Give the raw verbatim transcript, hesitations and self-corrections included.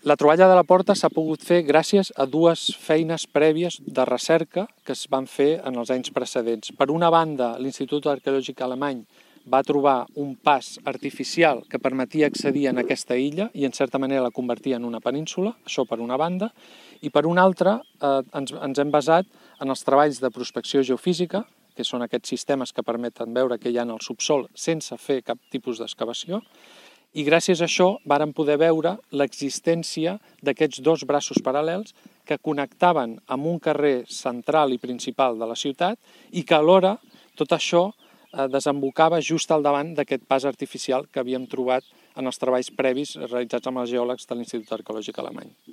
La troballa de la porta s'ha pogut fer gràcies a dues feines prèvies de recerca que es van fer en els anys precedents. Per una banda, l'Institut Arqueològic Alemany va trobar un pas artificial que permetia accedir en aquesta illa i en certa manera la convertia en una península, això per una banda, i per una altra eh, ens, ens hem basat en els treballs de prospecció geofísica, que són aquests sistemes que permeten veure què hi ha en el subsol sense fer cap tipus d'excavació, i gràcies a això vàrem poder veure l'existència d'aquests dos braços paral·lels que connectaven amb un carrer central i principal de la ciutat i que alhora tot això eh, desembocava just al davant d'aquest pas artificial que havíem trobat en els treballs previs realitzats amb els geòlegs de l'Institut Arqueològic Alemany.